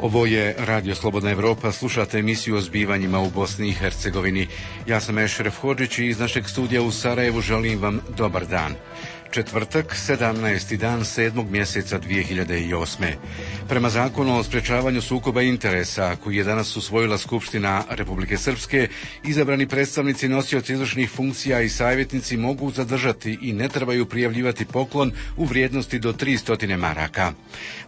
Ovo je Radio Slobodna Evropa, slušate emisiju o zbivanjima u Bosni i Hercegovini. Ja sam Ešref Hodžić i iz našeg studija u Sarajevu želim vam dobar dan. Četvrtak, 17. dan 7. mjeseca 2008. Prema zakonu o sprječavanju sukoba interesa, koji je danas usvojila Skupština Republike Srpske, izabrani predstavnici nosioci izvršnih funkcija i savjetnici mogu zadržati i ne trebaju prijavljivati poklon u vrijednosti do 300 maraka.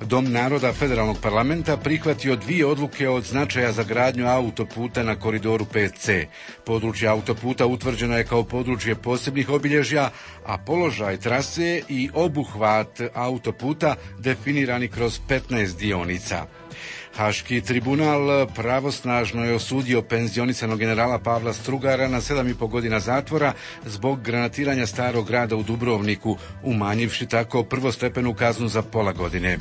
Dom naroda Federalnog parlamenta prihvatio 2 odluke od značaja za gradnju autoputa na koridoru 5C. Područje autoputa utvrđeno je kao područje posebnih obilježja, a položaj trase i obuhvat autoputa definirani kroz 15 dionica. Haški tribunal pravosnažno je osudio penzionisanog generala Pavla Strugara na 7,5 godina zatvora zbog granatiranja starog grada u Dubrovniku, umanjivši tako prvostepenu kaznu za pola godine.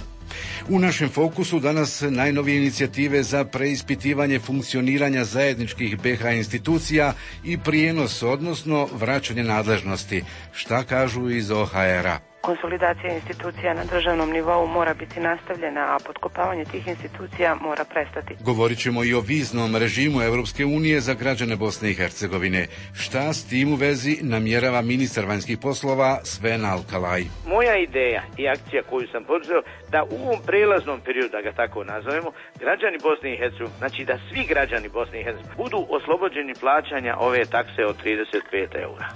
U našem fokusu danas najnovije inicijative za preispitivanje funkcioniranja zajedničkih BiH institucija i prijenos, odnosno vraćanje nadležnosti. Šta kažu iz OHR-a? Konsolidacija institucija na državnom nivou mora biti nastavljena, a potkopavanje tih institucija mora prestati. Govorit ćemo i o viznom režimu Europske unije za građane Bosne i Hercegovine. Šta s tim u vezi namjerava ministar vanjskih poslova Sven Alkalaj? Moja ideja i akcija koju sam poduzeo da u ovom prelaznom periodu, da ga tako nazovemo, građani Bosne i Hercegovine, znači da svi građani Bosne i Hercegovine budu oslobođeni plaćanja ove takse od 35 eura.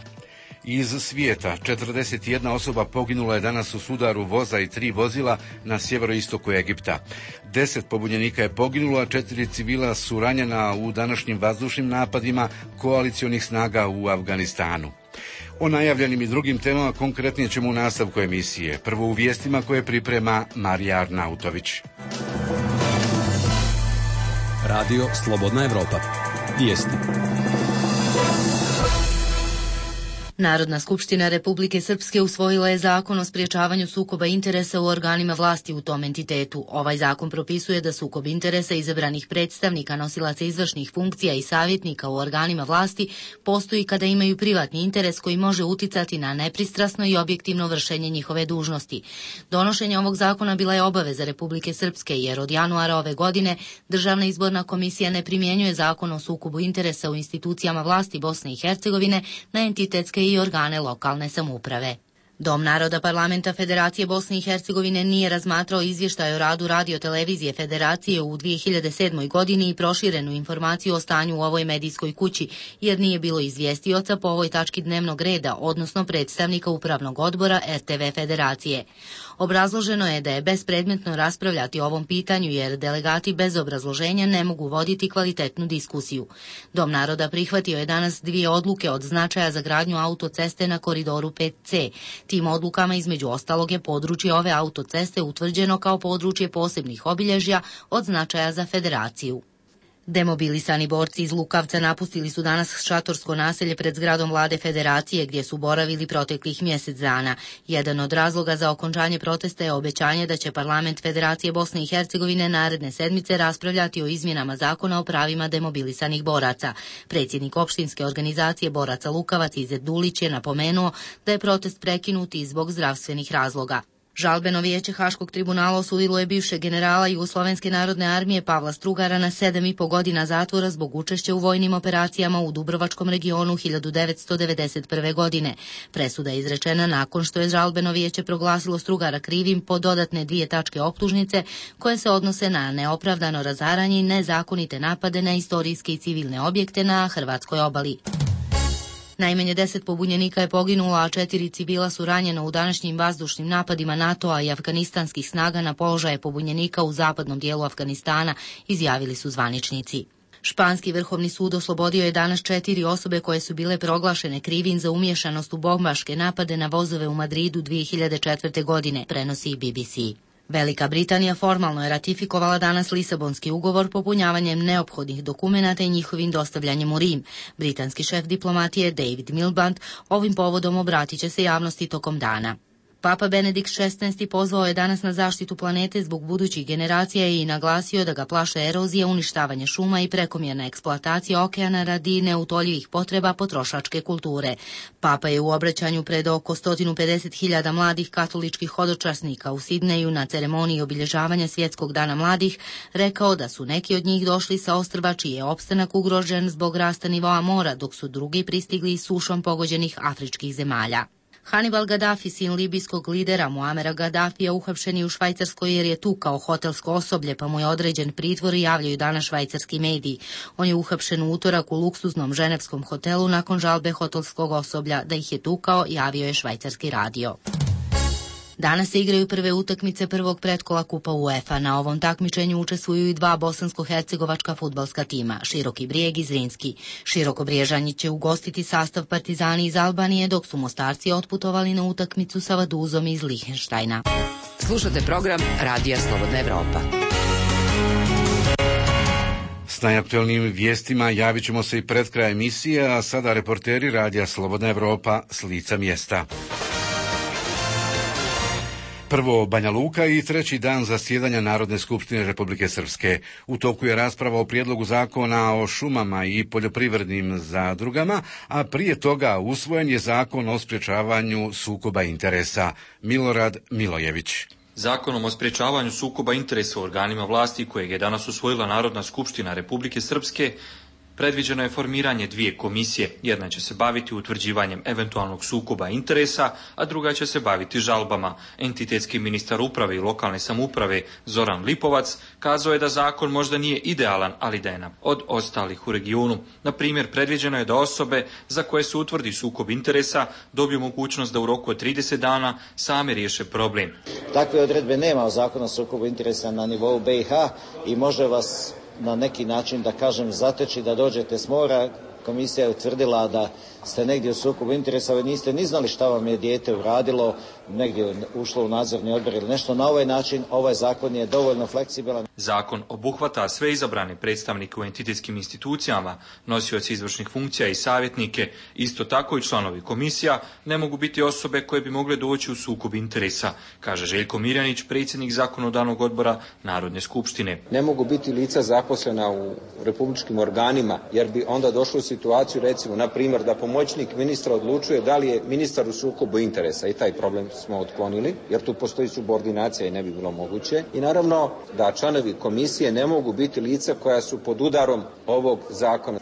Iz svijeta 41 osoba poginula je danas u sudaru voza i 3 vozila na sjeveroistoku Egipta. 10 pobunjenika je poginulo, a 4 civila su ranjena u današnjim vazdušnim napadima koalicionih snaga u Afganistanu. O najavljenim i drugim temama konkretnije ćemo u nastavku emisije. Prvo u vijestima koje priprema Marija Arnautović. Radio Slobodna Evropa. Vijesti. Narodna skupština Republike Srpske usvojila je zakon o sprječavanju sukoba interesa u organima vlasti u tom entitetu. Ovaj zakon propisuje da sukob interesa izabranih predstavnika, nosilaca izvršnih funkcija i savjetnika u organima vlasti postoji kada imaju privatni interes koji može uticati na nepristrasno i objektivno vršenje njihove dužnosti. Donošenje ovog zakona bila je obaveza Republike Srpske, jer od januara ove godine Državna izborna komisija ne primjenjuje zakon o sukobu interesa u institucijama vlasti Bosne i Hercegovine na entitetske i organe lokalne samouprave. Dom naroda Parlamenta Federacije Bosne i Hercegovine nije razmatrao izvještaj o radu Radio-televizije Federacije u 2007. godini i proširenu informaciju o stanju u ovoj medijskoj kući, jer nije bilo izvjestioca po ovoj tački dnevnog reda, odnosno predstavnika Upravnog odbora RTV Federacije. Obrazloženo je da je bespredmetno raspravljati o ovom pitanju, jer delegati bez obrazloženja ne mogu voditi kvalitetnu diskusiju. Dom naroda prihvatio je danas 2 odluke od značaja za gradnju autoceste na koridoru 5C. Tim odlukama između ostalog je područje ove autoceste utvrđeno kao područje posebnih obilježja od značaja za Federaciju. Demobilisani borci iz Lukavca napustili su danas šatorsko naselje pred zgradom vlade Federacije, gdje su boravili proteklih mjesec dana. Jedan od razloga za okončanje protesta je obećanje da će Parlament Federacije Bosne i Hercegovine naredne sedmice raspravljati o izmjenama zakona o pravima demobilisanih boraca. Predsjednik opštinske organizacije boraca Lukavac Izet Dulić je napomenuo da je protest prekinut i zbog zdravstvenih razloga. Žalbeno vijeće Haškog tribunala osudilo je bivšeg generala Jugoslovenske narodne armije Pavla Strugara na 7,5 godina zatvora zbog učešća u vojnim operacijama u Dubrovačkom regionu 1991. godine. Presuda je izrečena nakon što je žalbeno vijeće proglasilo Strugara krivim po dodatne 2 tačke optužnice koje se odnose na neopravdano razaranje i nezakonite napade na istorijske i civilne objekte na hrvatskoj obali. Najmanje 10 pobunjenika je poginulo, a 4 civila su ranjena u današnjim vazdušnim napadima NATO-a i afganistanskih snaga na položaje pobunjenika u zapadnom dijelu Afganistana, izjavili su zvaničnici. Španski vrhovni sud oslobodio je danas 4 osobe koje su bile proglašene krivim za umiješanost u bombaške napade na vozove u Madridu 2004. godine, prenosi BBC. Velika Britanija formalno je ratifikovala danas Lisabonski ugovor popunjavanjem neophodnih dokumenata i njihovim dostavljanjem u Rim. Britanski šef diplomatije David Miliband ovim povodom obratit će se javnosti tokom dana. Papa Benedikt XVI pozvao je danas na zaštitu planete zbog budućih generacija i naglasio da ga plaše erozija, uništavanje šuma i prekomjerna eksploatacija okeana radi neutoljivih potreba potrošačke kulture. Papa je u obraćanju pred oko 150.000 mladih katoličkih hodočasnika u Sidneju na ceremoniji obilježavanja Svjetskog dana mladih rekao da su neki od njih došli sa ostrva čiji je opstanak ugrožen zbog rasta nivoa mora, dok su drugi pristigli iz sušom pogođenih afričkih zemalja. Hannibal Gaddafi, sin libijskog lidera Muamera Gaddafija, uhapšen je u Švajcarskoj jer je tukao hotelsko osoblje, pa mu je određen pritvor, javljaju danas švajcarski mediji. On je uhapšen u utorak u luksuznom ženevskom hotelu nakon žalbe hotelskog osoblja da ih je tukao, javio je švajcarski radio. Danas se igraju prve utakmice prvog pretkola Kupa UEFA. Na ovom takmičenju učestvuju i dva bosansko-hercegovačka fudbalska tima, Široki Brijeg i Zrinski. Širokobriježani će ugostiti sastav Partizani iz Albanije, dok su Mostarci otputovali na utakmicu sa Vaduzom iz Lihenštajna. Slušate program Radija Slobodna Evropa. S najaktuelnijim vijestima javit ćemo se i pred kraj emisije, a sada reporteri Radija Slobodna Evropa s lica mjesta. Prvo Banja Luka i treći dan zasjedanja Narodne skupštine Republike Srpske. U toku je rasprava o prijedlogu zakona o šumama i poljoprivrednim zadrugama, a prije toga usvojen je zakon o sprječavanju sukoba interesa. Milorad Milojević. Zakonom o sprječavanju sukoba interesa u organima vlasti, kojeg je danas usvojila Narodna skupština Republike Srpske, predviđeno je formiranje dvije komisije. Jedna će se baviti utvrđivanjem eventualnog sukoba interesa, a druga će se baviti žalbama. Entitetski ministar uprave i lokalne samouprave Zoran Lipovac kazao je da zakon možda nije idealan, ali da je od ostalih u regionu. Na primjer, predviđeno je da osobe za koje se utvrdi sukob interesa dobiju mogućnost da u roku od 30 dana same riješe problem. Takve odredbe nema u zakonu o sukobu interesa na nivou BiH i može vas na neki način, da kažem, zateći da dođete s mora. Komisija je utvrdila da ste negdje u sukobu interesa, vi niste ni znali šta vam je dijete uradilo, negdje ušlo u nadzorni odbor ili nešto. Na ovaj način ovaj zakon je dovoljno fleksibilan. Zakon obuhvata sve izabrane predstavnike u entitetskim institucijama, nosioci izvršnih funkcija i savjetnike. Isto tako i članovi komisija ne mogu biti osobe koje bi mogle doći u sukob interesa, kaže Željko Mirjanić, predsjednik zakonodavnog odbora Narodne skupštine. Ne mogu biti lica zaposlena u republičkim organima, jer bi onda došlo u situaciju, recimo, na primjer, da pomoćnik ministra odlučuje da li je ministar u sukobu interesa, i taj problem smo otklonili, jer tu postoji subordinacija i ne bi bilo moguće. I naravno da članovi komisije ne mogu biti lica koja su pod udarom ovog zakona.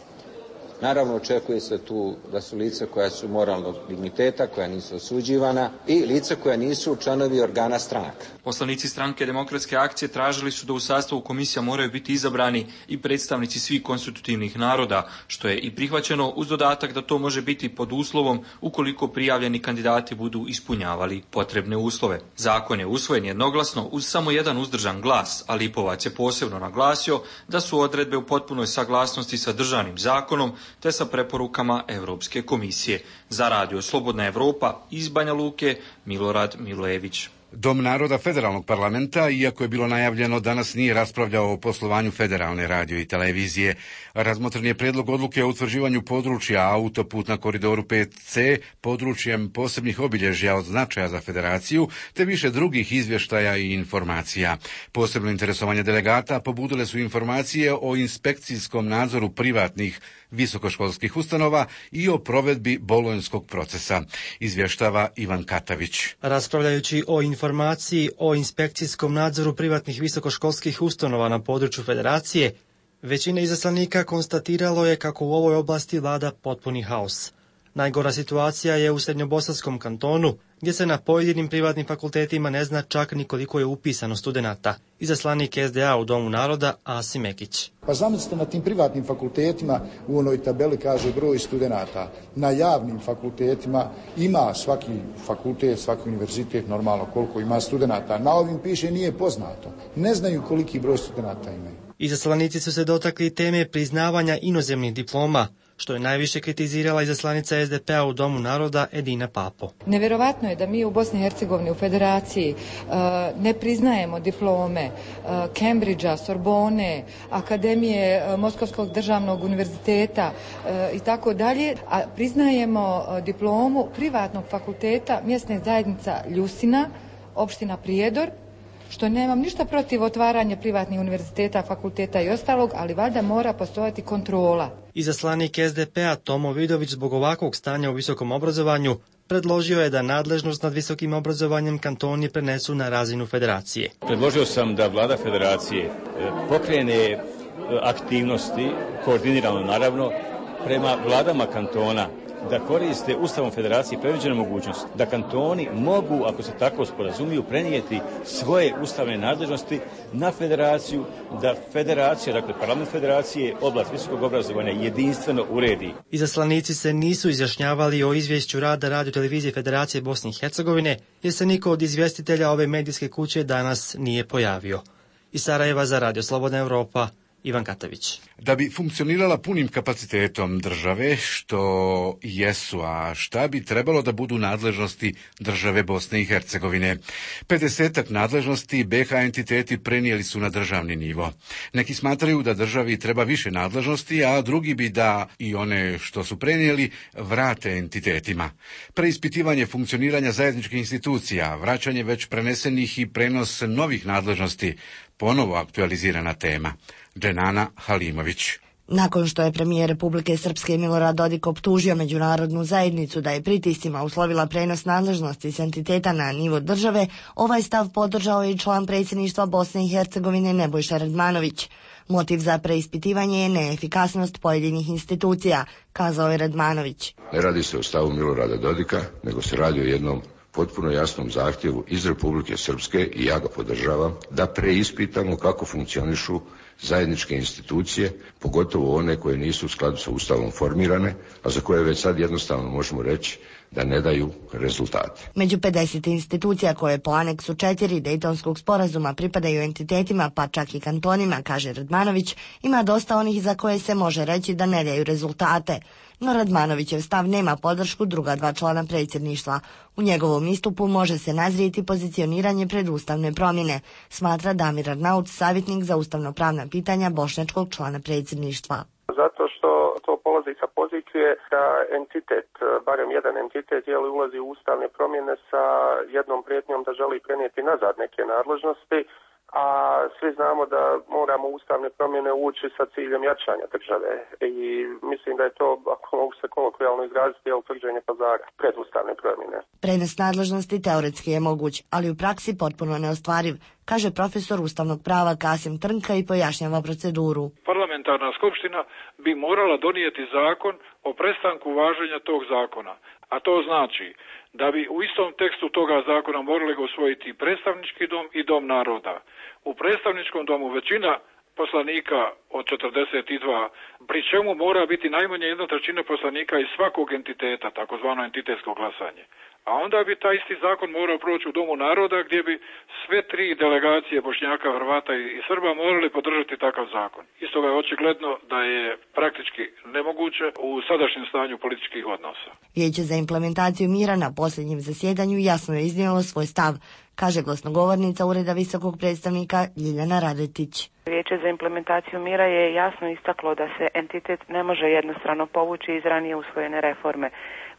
Naravno, očekuje se tu da su lica koja su moralnog digniteta, koja nisu osuđivana i lica koja nisu članovi organa stranaka. Poslanici Stranke demokratske akcije tražili su da u sastavu komisija moraju biti izabrani i predstavnici svih konstitutivnih naroda, što je i prihvaćeno uz dodatak da to može biti pod uslovom ukoliko prijavljeni kandidati budu ispunjavali potrebne uslove. Zakon je usvojen jednoglasno uz samo jedan uzdržan glas, a Lipovac je posebno naglasio da su odredbe u potpunoj saglasnosti sa državnim zakonom te sa preporukama Europske komisije. Za Radio Slobodna Evropa iz Banja Luke, Milorad Milojević. Dom naroda federalnog parlamenta, iako je bilo najavljeno, danas nije raspravljao o poslovanju federalne radio i televizije. Razmotren je prijedlog odluke o utvrđivanju područja autoput na koridoru 5C područjem posebnih obilježja od značaja za federaciju, te više drugih izvještaja i informacija. Posebno interesovanje delegata pobudile su informacije o inspekcijskom nadzoru privatnih visokoškolskih ustanova i o provedbi bolonjskog procesa, izvještava Ivan Katavić. Raspravljajući o informaciji o inspekcijskom nadzoru privatnih visokoškolskih ustanova na području federacije, većina izaslanika konstatiralo je kako u ovoj oblasti vlada potpuni haos. Najgora situacija je u Srednjobosanskom kantonu, gdje se na pojedinim privatnim fakultetima ne zna čak ni koliko je upisano studenata. Izaslanik SDA u Domu naroda Asim Ekić. Pa zamislite, na tim privatnim fakultetima u onoj tabeli kaže broj studenata. Na javnim fakultetima ima svaki fakultet, svaki univerzitet normalno koliko ima studenata. Na ovim piše nije poznato. Ne znaju koliki broj studenata imaju. Izaslanici su se dotakli teme priznavanja inozemnih diploma, što je najviše kritizirala izaslanica SDP-a u Domu naroda Edina Papo. Nevjerovatno je da mi u Bosni i Hercegovini u Federaciji ne priznajemo diplome Cambridgea, Sorbone, Akademije Moskovskog državnog univerziteta i tako dalje, a priznajemo diplomu privatnog fakulteta mjesne zajednica Ljusina, opština Prijedor, što nemam ništa protiv otvaranja privatnih univerziteta, fakulteta i ostalog, ali valjda mora postojati kontrola. Izaslanik SDP-a Tomo Vidović zbog ovakvog stanja u visokom obrazovanju predložio je da nadležnost nad visokim obrazovanjem kantoni prenesu na razinu federacije. Predložio sam da vlada federacije pokrene aktivnosti, koordinirano naravno, prema vladama kantona, da koriste Ustavom federacije predviđenu mogućnost da kantoni mogu, ako se tako sporazumiju, prenijeti svoje ustavne nadležnosti na federaciju, da federacija, dakle parlament federacije, oblast visokog obrazovanja jedinstveno uredi. Izaslanici se nisu izjašnjavali o izvješću rada Radio-televizije Federacije Bosne i Hercegovine, jer se niko od izvjestitelja ove medijske kuće danas nije pojavio. Iz Sarajeva za Radio Slobodna Evropa, Ivan Katavić. Da bi funkcionirala punim kapacitetom države, što jesu, a šta bi trebalo da budu nadležnosti države Bosne i Hercegovine? 50-ak nadležnosti BH entiteti prenijeli su na državni nivo. Neki smatraju da državi treba više nadležnosti, a drugi bi da i one što su prenijeli vrate entitetima. Preispitivanje funkcioniranja zajedničkih institucija, vraćanje već prenesenih i prenos novih nadležnosti, ponovo aktualizirana tema. Dženana Halimović. Nakon što je premijer Republike Srpske Milorad Dodik optužio međunarodnu zajednicu da je pritiscima uslovila prenos nadležnosti s entiteta na nivo države, ovaj stav podržao je i član predsjedništva Bosne i Hercegovine Nebojša Radmanović. Motiv za preispitivanje je neefikasnost pojedinih institucija, kazao je Radmanović. Ne radi se o stavu Milorada Dodika, nego se radi o jednom potpuno jasnom zahtjevu iz Republike Srpske, i ja ga podržavam, da preispitamo kako funkcionišu zajedničke institucije, pogotovo one koje nisu u skladu sa Ustavom formirane, a za koje već sad jednostavno možemo reći da ne daju rezultate. Među 50 institucija koje po aneksu 4 Dejtonskog sporazuma pripadaju entitetima, pa čak i kantonima, kaže Radmanović, ima dosta onih za koje se može reći da ne daju rezultate. No Radmanovićev stav nema podršku druga dva člana predsjedništva. U njegovom istupu može se nazrijeti pozicioniranje pred ustavne promjene, smatra Damir Arnaut, savjetnik za ustavno-pravna pitanja bošnjačkog člana predsjedništva. Zato što to polazi sa pozicije da entitet, barem jedan entitet, ulazi u ustavne promjene sa jednom prijetnjom da želi prenijeti nazad neke nadležnosti, a svi znamo da moramo ustavne promjene ući sa ciljem jačanja države. I mislim da je to, ako mogu se kolokvijalno izraziti, utvrđenje pazara pred ustavne promjene. Prenos nadležnosti teoretski je moguć, ali u praksi potpuno neostvariv, kaže profesor ustavnog prava Kasim Trnka i pojašnjava proceduru. Parlamentarna skupština bi morala donijeti zakon o prestanku važenja tog zakona, a to znači da bi u istom tekstu toga zakona morali ga usvojiti predstavnički dom i dom naroda. U predstavničkom domu većina poslanika od 42, pri čemu mora biti najmanje 1/3 poslanika iz svakog entiteta, takozvano entitetsko glasanje. A onda bi taj isti zakon morao proći u Domu naroda, gdje bi sve tri delegacije Bošnjaka, Hrvata i Srba morali podržati takav zakon. Isto je očigledno da je praktički nemoguće u sadašnjem stanju političkih odnosa. Vijeće za implementaciju mira na posljednjem zasjedanju jasno je iznijelo svoj stav, kaže glasnogovornica Ureda visokog predstavnika Ljiljana Radetić. Vijeće za implementaciju mira je jasno istaklo da se entitet ne može jednostrano povući iz ranije usvojene reforme.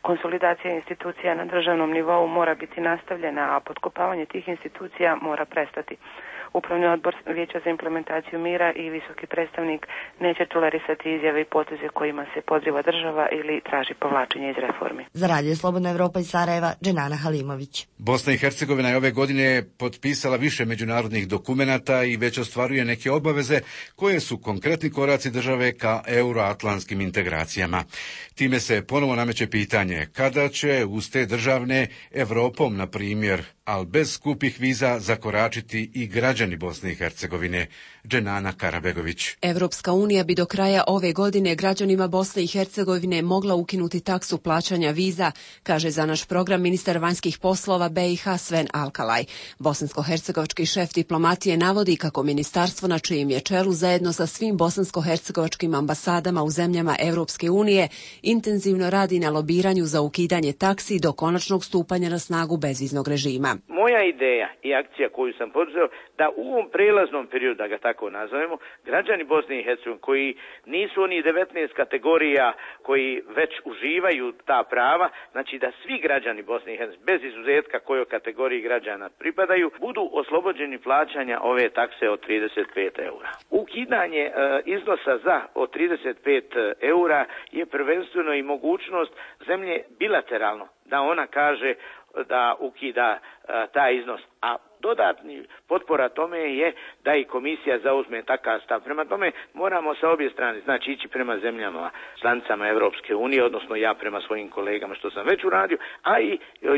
Konsolidacija institucija na državnom nivou mora biti nastavljena, a potkopavanje tih institucija mora prestati. Upravni odbor Vijeća za implementaciju mira i visoki predstavnik neće tolerisati izjave i poteze kojima se podriva država ili traži povlačenje iz reformi. Za Radio Slobodna Evropa iz Sarajeva, Dženana Halimović. Bosna i Hercegovina je ove godine potpisala više međunarodnih dokumenata i već ostvaruje neke obaveze koje su konkretni koraci države ka euroatlantskim integracijama. Time se ponovo nameće pitanje kada će uz te državne Evropom, na primjer, ali bez skupih viza, zakoračiti i građani građani Bosne i Hercegovine. Dženana Karabegović. Evropska unija bi do kraja ove godine građanima Bosne i Hercegovine mogla ukinuti taksu plaćanja viza, kaže za naš program ministar vanjskih poslova BiH Sven Alkalaj. Bosansko-hercegovački šef diplomatije navodi kako ministarstvo na čijem je čelu zajedno sa svim bosansko-hercegovačkim ambasadama u zemljama Evropske unije intenzivno radi na lobiranju za ukidanje taksi do konačnog stupanja na snagu bezviznog režima. Moja ideja i akcija koju sam poduzeo da u ovom prelaznom periodu, da ga tako nazovemo, građani Bosne i Hercegovine koji nisu oni 19 kategorija koji već uživaju ta prava, znači da svi građani Bosne i Hercegovine, bez izuzetka kojoj kategoriji građana pripadaju, budu oslobođeni plaćanja ove takse od 35 eura. Ukidanje iznosa za od 35 eura je prvenstveno i mogućnost zemlje bilateralno da ona kaže da ukida taj iznos, a dodatni potpora tome je da i komisija zauzme takav stav. Prema tome moramo sa obje strane, znači ići prema zemljama članicama Evropske unije, odnosno ja prema svojim kolegama što sam već uradio, a i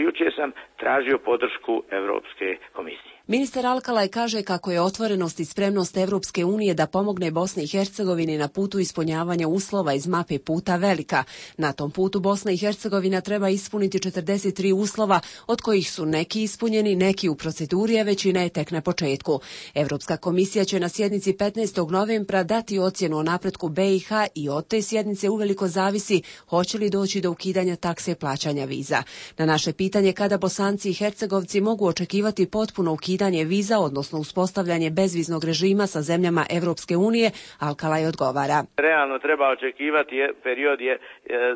jučer sam tražio podršku Evropske komisije. Ministar Alkalaj kaže kako je otvorenost i spremnost Evropske unije da pomogne Bosni i Hercegovini na putu ispunjavanja uslova iz mape puta velika. Na tom putu Bosna i Hercegovina treba ispuniti 43 uslova, od kojih su neki ispunjeni, neki u proceduri, a većina je tek na početku. Evropska komisija će na sjednici 15. novembra dati ocjenu o napretku BiH i od te sjednice uveliko zavisi hoće li doći do ukidanja takse plaćanja viza. Na naše pitanje kada Bosanci i Hercegovci mogu očekivati potpuno ukidanje viza, odnosno uspostavljanje bezviznog režima sa zemljama Evropske unije, Alkalaj odgovara. Realno treba očekivati period je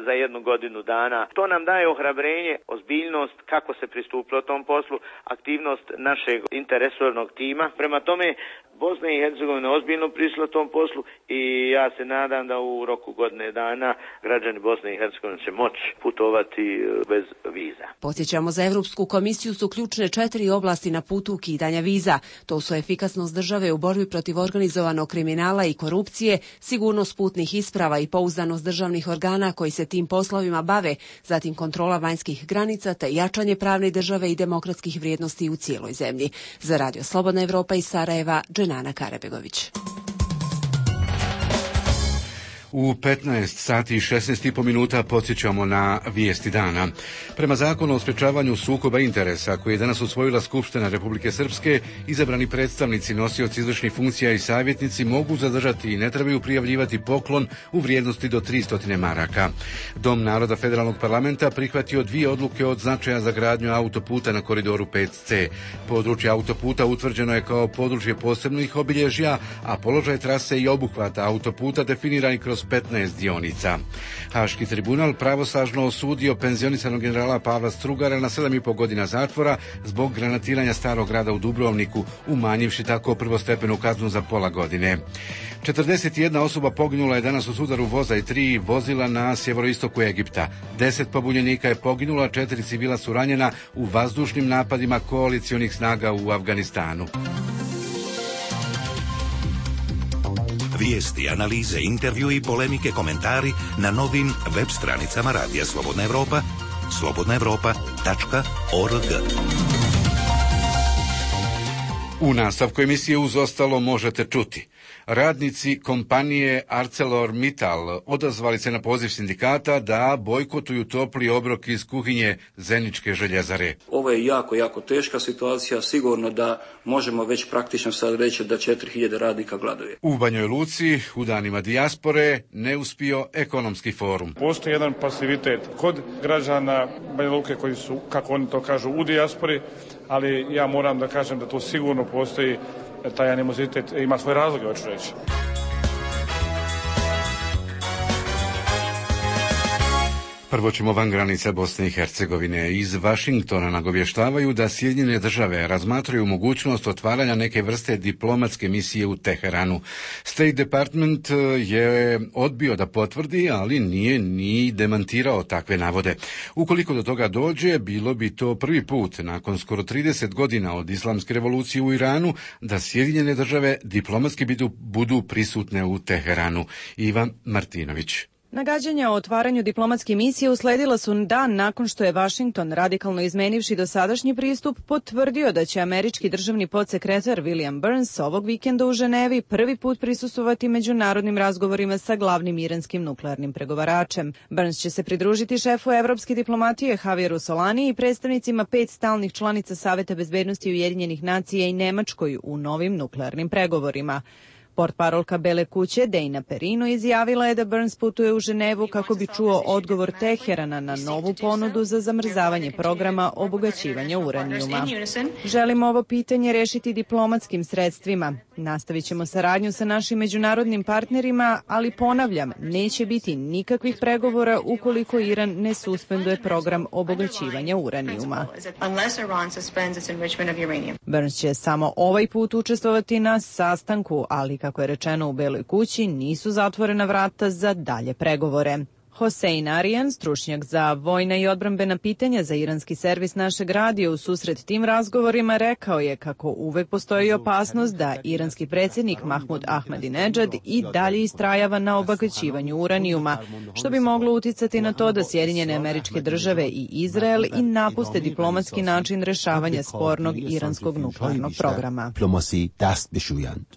za 1 godinu dana. To nam daje ohrabrenje, ozbiljnost kako se pristupilo tom poslu, aktivnost našeg interresornog tima. Prema tome Bosna i Hercegovina ozbiljno prišla tom poslu i ja se nadam da u roku godine dana građani Bosne i Hercegovine će moći putovati bez viza. Podsjećamo, za Evropsku komisiju su ključne 4 oblasti na putu ukidanja viza. To su efikasnost države u borbi protiv organizovanog kriminala i korupcije, sigurnost putnih isprava i pouzdanost državnih organa koji se tim poslovima bave, zatim kontrola vanjskih granica te jačanje pravne države i demokratskih vrijednosti u cijeloj zemlji. Za Radio Slobodna Evropa iz Sarajeva, Dženana Karabegović. U 15 sati i 16,5 minuta podsjećamo na vijesti dana. Prema zakonu o sprečavanju sukoba interesa koji je danas usvojila Skupština Republike Srpske, izabrani predstavnici, nosioci izvršnih funkcija i savjetnici mogu zadržati i ne trebaju prijavljivati poklon u vrijednosti do 300 maraka. Dom naroda Federalnog parlamenta prihvatio 2 odluke od značaja za gradnju autoputa na koridoru 5C. Područje autoputa utvrđeno je kao područje posebnih obilježja, a položaj trase i obuhvata autoputa definirani kroz 15 dionica. Haški tribunal pravosnažno osudio penzionisanog generala Pavla Strugara na 7,5 godina zatvora zbog granatiranja starog grada u Dubrovniku, umanjivši tako prvostepenu kaznu za pola godine. 41 osoba poginula je danas u sudaru voza i 3 vozila na sjeveroistoku Egipta. 10 pobunjenika je poginulo, a 4 civila su ranjena u vazdušnim napadima koalicionih snaga u Afganistanu. Vijesti, analize, intervju i polemike, komentari na novim web stranicama Radija Slobodna Evropa, slobodnaevropa.org. U nastavku emisije uz ostalo možete čuti. Radnici kompanije ArcelorMittal odazvali se na poziv sindikata da bojkotuju topli obrok iz kuhinje Zeničke željezare. Ovo je jako teška situacija, sigurno da možemo već praktično sad reći da 4000 radnika gladuje. U Banjoj Luci u danima dijaspore neuspio ekonomski forum. Postoji jedan pasivitet kod građana Banja Luke koji su, kako oni to kažu, u dijaspori, ali ja moram da kažem da to sigurno postoji taj animozitet, ima svoje razloge, hoću reći. Prvo ćemo van granica Bosne i Hercegovine. Iz Vašingtona nagovještavaju da Sjedinjene države razmatraju mogućnost otvaranja neke vrste diplomatske misije u Teheranu. State Department je odbio da potvrdi, ali nije ni demantirao takve navode. Ukoliko do toga dođe, bilo bi to prvi put nakon skoro 30 godina od islamske revolucije u Iranu da Sjedinjene države diplomatski budu prisutne u Teheranu. Ivan Martinović. Nagađanja o otvaranju diplomatske misije usledila su dan nakon što je Vašington, radikalno izmenivši dosadašnji pristup, potvrdio da će američki državni podsekretar William Burns ovog vikenda u Ženevi prvi put prisustvovati međunarodnim razgovorima sa glavnim iranskim nuklearnim pregovaračem. Burns će se pridružiti šefu evropske diplomatije Javieru Solani i predstavnicima 5 stalnih članica Saveta bezbednosti Ujedinjenih nacija i Nemačkoj u novim nuklearnim pregovorima. Portparolka Bele kuće Dejna Perino izjavila je da Burns putuje u Ženevu kako bi čuo odgovor Teherana na novu ponudu za zamrzavanje programa obogaćivanja uranijuma. Želimo ovo pitanje rešiti diplomatskim sredstvima. Nastavit ćemo saradnju sa našim međunarodnim partnerima, ali ponavljam, neće biti nikakvih pregovora ukoliko Iran ne suspenduje program obogaćivanja uranijuma. Burns će samo ovaj put učestvovati na sastanku, ali kako je rečeno u Beloj kući, nisu zatvorena vrata za dalje pregovore. Hossein Arijan, stručnjak za vojna i odbrambena pitanja za iranski servis našeg radija, u susret tim razgovorima rekao je kako uvek postoji opasnost da iranski predsjednik Mahmud Ahmadinejad i dalje istrajava na obogaćivanju uranijuma, što bi moglo uticati na to da Sjedinjene Američke Države i Izrael i napuste diplomatski način rešavanja spornog iranskog nuklearnog programa.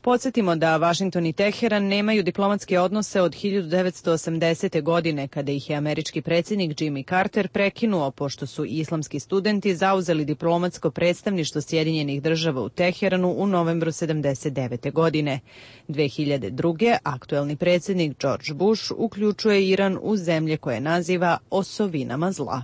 Podsjetimo da Vašington i Teheran nemaju diplomatske odnose od 1980. godine, kada ih je američki predsjednik Jimmy Carter prekinuo pošto su islamski studenti zauzeli diplomatsko predstavništvo Sjedinjenih Država u Teheranu u novembru 1979. godine. 2002. aktuelni predsjednik George Bush uključuje Iran u zemlje koje naziva osovinama zla.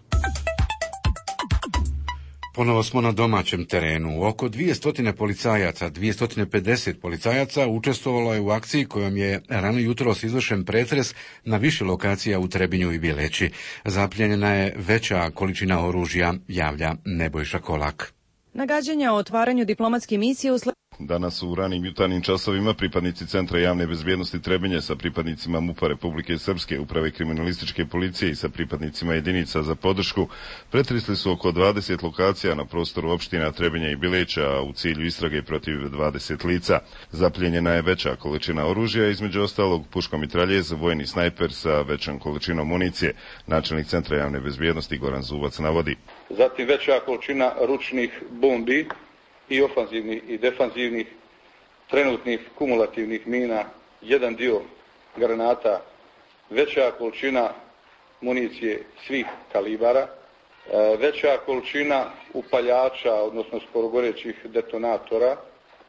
Ponovo smo na domaćem terenu. Oko 200 policajaca, 250 policajaca učestvovalo je u akciji kojom je rano jutros izvršen pretres na više lokacija u Trebinju i Bileći. Zapljenjena je veća količina oružja, javlja Nebojša Kolak. Nagađanja o otvaranju diplomatske misije Danas u ranim jutarnjim časovima pripadnici Centra javne bezbjednosti Trebinje sa pripadnicima MUP-a Republike Srpske, Uprave kriminalističke policije i sa pripadnicima jedinica za podršku pretresli su oko 20 lokacija na prostoru opština Trebinja i Bileća u cilju istrage protiv 20 lica. Zapljenjena je veća količina oružja, između ostalog puškomitraljez, vojni snajper sa većom količinom municije. Načelnik Centra javne bezbjednosti Goran Zubac navodi. Zatim veća količina ručnih bombi i ofanzivnih i defanzivnih, trenutnih kumulativnih mina, jedan dio granata, veća količina municije svih kalibara, veća količina upaljača, odnosno skorogorećih detonatora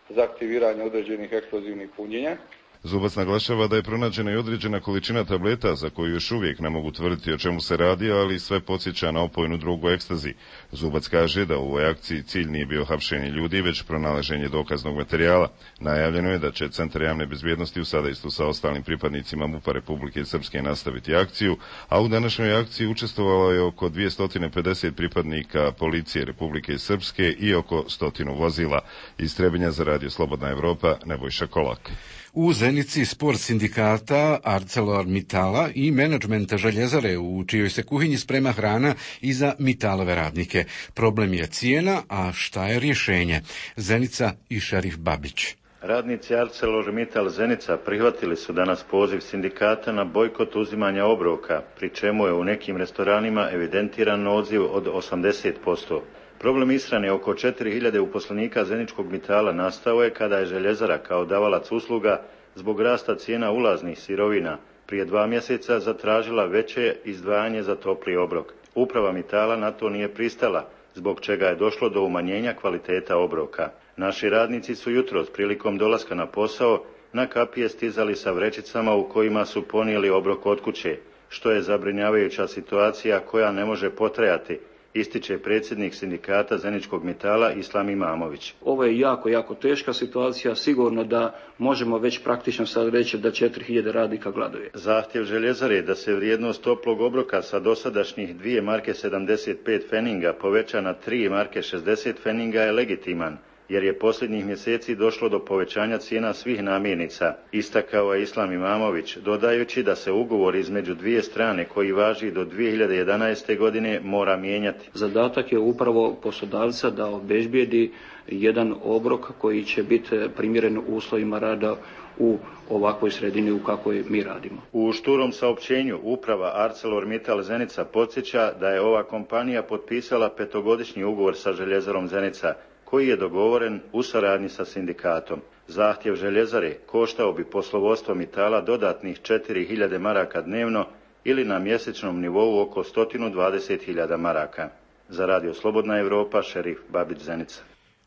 za aktiviranje određenih eksplozivnih punjenja. Zubac naglašava da je pronađena i određena količina tableta za koju još uvijek ne mogu tvrditi o čemu se radi, ali sve podsjeća na opojnu drogu ekstazi. Zubac kaže da u ovoj akciji cilj nije bio hapšenje ljudi, već pronalaženje dokaznog materijala. Najavljeno je da će Centar javne bezbjednosti u sadejstvu sa ostalim pripadnicima MUP-a Republike Srpske nastaviti akciju, a u današnjoj akciji učestvovalo je oko 250 pripadnika policije Republike Srpske i oko 100 vozila. Iz Trebinja za Radio Slobodna Evropa, Nebojša Kolak. U Zenici spor sindikata ArcelorMittala i menadžmenta željezare u čijoj se kuhinji sprema hrana i za Mittalove radnike. Problem je cijena, a šta je rješenje? Zenica i Šerif Babić. Radnici ArcelorMittal Zenica prihvatili su danas poziv sindikata na bojkot uzimanja obroka, pri čemu je u nekim restoranima evidentiran odziv od 80%. Problem ishrane oko 4000 uposlenika Zeničkog Mittala nastao je kada je željezara kao davalac usluga zbog rasta cijena ulaznih sirovina prije 2 mjeseca zatražila veće izdvajanje za topli obrok. Uprava Mittala na to nije pristala, zbog čega je došlo do umanjenja kvaliteta obroka. Naši radnici su jutros prilikom dolaska na posao na kapije stizali sa vrećicama u kojima su ponijeli obrok od kuće, što je zabrinjavajuća situacija koja ne može potrajati, ističe predsjednik sindikata Zeničkog Mittala Islam Imamović. Ovo je jako teška situacija, sigurno da možemo već praktično sad reći da 4000 radnika gladuje. Zahtjev željezare je da se vrijednost toplog obroka sa dosadašnjih 2 marke 75 feninga poveća na 3 marke 60 feninga je legitiman, jer je posljednjih mjeseci došlo do povećanja cijena svih namirnica, istakao je Islam Imamović, dodajući da se ugovor između dvije strane koji važi do 2011. godine mora mijenjati. Zadatak je upravo poslodavca da obezbijedi jedan obrok koji će biti primjeren uslovima rada u ovakvoj sredini u kakvoj mi radimo. U šturom saopćenju uprava ArcelorMittal Zenica podsjeća da je ova kompanija potpisala 5-godišnji ugovor sa željezarom Zenica, koji je dogovoren u saradnji sa sindikatom. Zahtjev željezare koštao bi poslovodstvo Mitala dodatnih 4.000 maraka dnevno ili na mjesečnom nivou oko 120.000 maraka. Za Radio Slobodna Evropa, Šerif Babić, Zenica.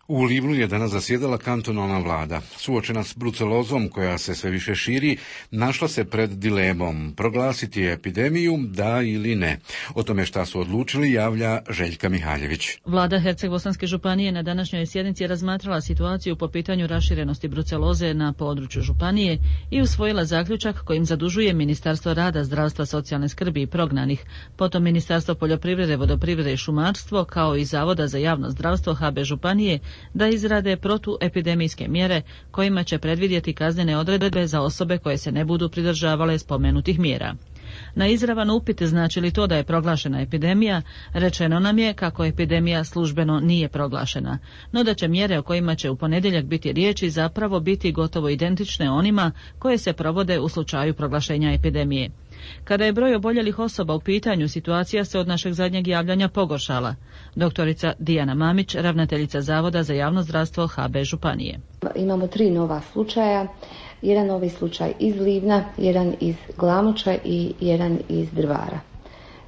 U Livnu je danas zasjedala kantonalna vlada. Suočena s brucelozom koja se sve više širi, našla se pred dilemom proglasiti epidemiju, da ili ne. O tome šta su odlučili javlja Željka Mihaljević. Vlada Herceg-Bosanske županije na današnjoj sjednici razmatrala situaciju po pitanju raširenosti bruceloze na području županije i usvojila zaključak kojim zadužuje Ministarstvo rada, zdravstva, socijalne skrbi i prognanih, potom Ministarstvo poljoprivrede, vodoprivrede i šumarstvo, kao i Zavoda za javno zdravstvo HB županije, da izrade protuepidemijske mjere kojima će predvidjeti kaznene odredbe za osobe koje se ne budu pridržavale spomenutih mjera. Na izravan upit znači li to da je proglašena epidemija, rečeno nam je kako epidemija službeno nije proglašena, no da će mjere o kojima će u ponedjeljak biti riječi zapravo biti gotovo identične onima koje se provode u slučaju proglašenja epidemije. Kada je broj oboljelih osoba u pitanju, situacija se od našeg zadnjeg javljanja pogoršala. Doktorica Dijana Mamić, ravnateljica Zavoda za javno zdravstvo HB županije. Imamo 3 nova slučaja, jedan novi slučaj iz Livna, jedan iz Glamoča i jedan iz Drvara.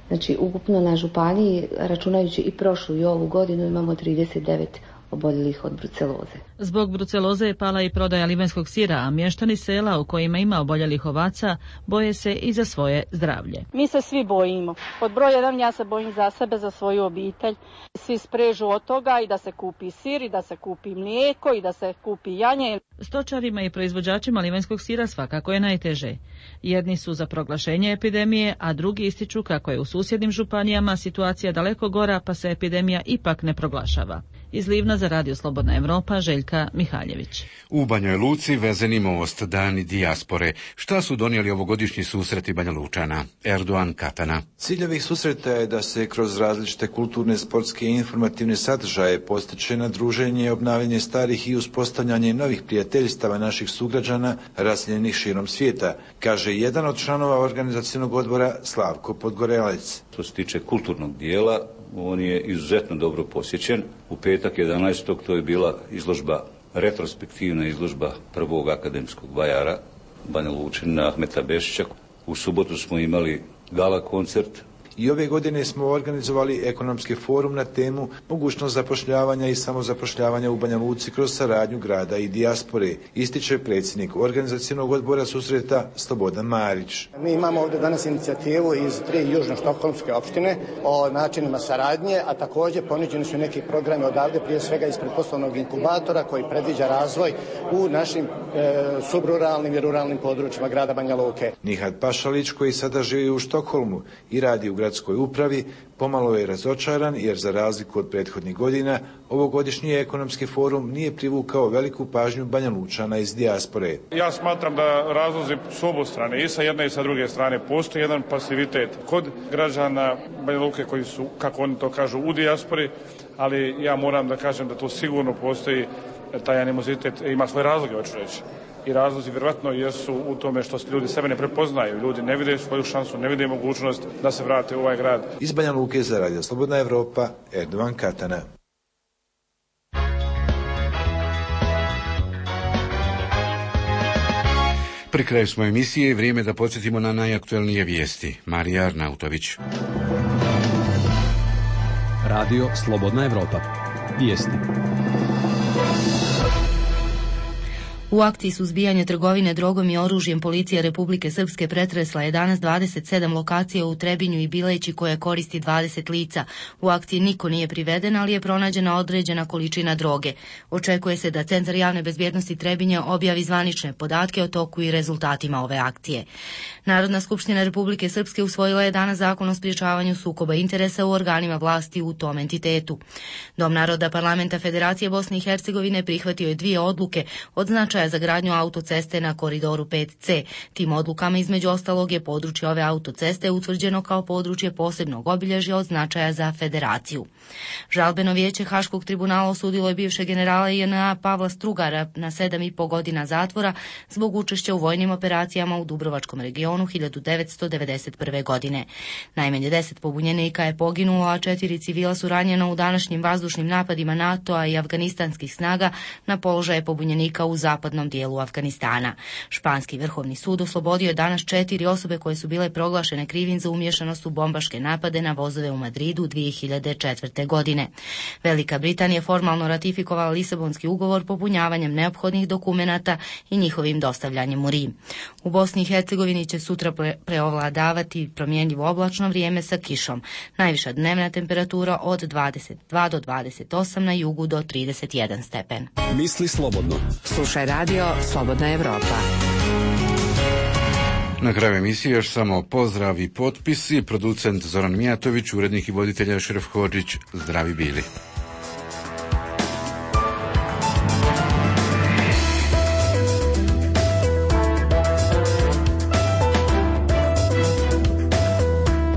Znači, ukupno na županiji, računajući i prošlu i ovu godinu, imamo 39 oboljelih od bruceloze. Zbog bruceloze je pala i prodaja livanjskog sira, a mještani sela u kojima ima oboljelih ovaca boje se i za svoje zdravlje. Mi se svi bojimo. Pod broj 1 ja se bojim za sebe, za svoju obitelj. Svi sprežu od toga i da se kupi sir, i da se kupi mlijeko, i da se kupi janje. Stočarima i proizvođačima livanjskog sira svakako je najteže. Jedni su za proglašenje epidemije, a drugi ističu kako je u susjednim županijama situacija daleko gora, pa se epidemija ipak ne proglašava. Iz Livna za Radio Slobodna Evropa, Željka Mihaljević. U Banjoj Luci vezeni most Dani dijaspore. Šta su donijeli ovogodišnji susreti Banja Lučana? Erdogan Katana. Cilj ovih susreta je da se kroz različite kulturne, sportske i informativne sadržaje postiče na druženje, obnavljanje starih i uspostavljanje novih prijateljstava naših sugrađana raseljenih širom svijeta, kaže jedan od članova organizacionog odbora Slavko Podgorelec. Što se tiče kulturnog dijela, on je izuzetno dobro posjećen. U petak 11. to je bila izložba, retrospektivna izložba prvog akademskog vajara Banja Lučanina Ahmeta Bešića. U subotu smo imali gala koncert. I ove godine smo organizovali ekonomski forum na temu mogućnost zapošljavanja i samozapošljavanja u Banja Luci kroz saradnju grada i dijaspore, ističe predsjednik organizacionog odbora susreta Slobodan Marić. Mi imamo ovdje danas inicijativu iz 3 južnoštokholmske opštine o načinima saradnje, a također ponuđeni su neki programi odavde, prije svega ispred poslovnog inkubatora koji predviđa razvoj u našim subruralnim i ruralnim područjima grada Banja Luke. Nihad Pašalić, koji sada živi u Štokholmu i radi u gradskoj upravi, pomalo je razočaran jer za razliku od prethodnih godina ovogodišnji ekonomski forum nije privukao veliku pažnju Banja Lučana iz dijaspore. Ja smatram da razlozi su obostrane, i sa jedne i sa druge strane. Postoji jedan pasivitet kod građana Banja Luke koji su, kako oni to kažu, u dijaspori, ali ja moram da kažem da to sigurno postoji taj animozitet, ima svoje razloge, hoću reći. I razlozi vjerojatno jesu u tome što ljudi sebe ne prepoznaju, ljudi ne vide svoju šansu, ne vide mogućnost da se vrate u ovaj grad. Iz Banja Luke za Radio Slobodna Evropa, Erdogan Katana. Pri kraju smo emisije, vrijeme da podsjetimo na najaktuelnije vijesti. Marija Arnautović. Radio Slobodna Evropa. Vijesti. U akciji suzbijanja trgovine drogom i oružjem policija Republike Srpske pretresla je danas 27 lokacija u Trebinju i Bileći koje koristi 20 lica. U akciji niko nije priveden, ali je pronađena određena količina droge. Očekuje se da Centar javne bezbjednosti Trebinja objavi zvanične podatke o toku i rezultatima ove akcije. Narodna skupština Republike Srpske usvojila je danas zakon o sprječavanju sukoba interesa u organima vlasti u tom entitetu. Dom naroda Parlamenta Federacije Bosne i Hercegovine prihvatio je 2 odluke od značaja za gradnju autoceste na koridoru 5C. Tim odlukama između ostalog je područje ove autoceste utvrđeno kao područje posebnog obilježja od značaja za Federaciju. Žalbeno vijeće Haškog tribunala osudilo je bivšeg generala JNA Pavla Strugara na 7,5 godina zatvora zbog učešća u vojnim operacijama u Dubrovačkom regionu 1991. godine. Najmanje 10 pobunjenika je poginulo, a 4 civila su ranjena u današnjim vazdušnim napadima NATO-a i afganistanskih snaga na položaje pobunjenika u zapadnom dijelu Afganistana. Španski vrhovni sud oslobodio je danas 4 osobe koje su bile proglašene krivim za umješanost u bombaške napade na vozove u Madridu 2004. godine. Velika Britanija formalno ratifikovala Lisabonski ugovor popunjavanjem neophodnih dokumenata i njihovim dostavljanjem u Rim. U Bosni i Hercegovini će sutra preovladavati promjenjivo oblačno vrijeme sa kišom. Najviša dnevna temperatura od 22 do 28, na jugu do 31 stepen. Misli slobodno. Slušaj radio Slobodna Evropa. Na kraju emisije još samo pozdrav i potpisi. Producent Zoran Mijatović, urednik i voditelj Ašraf Hodžić. Zdravi bili.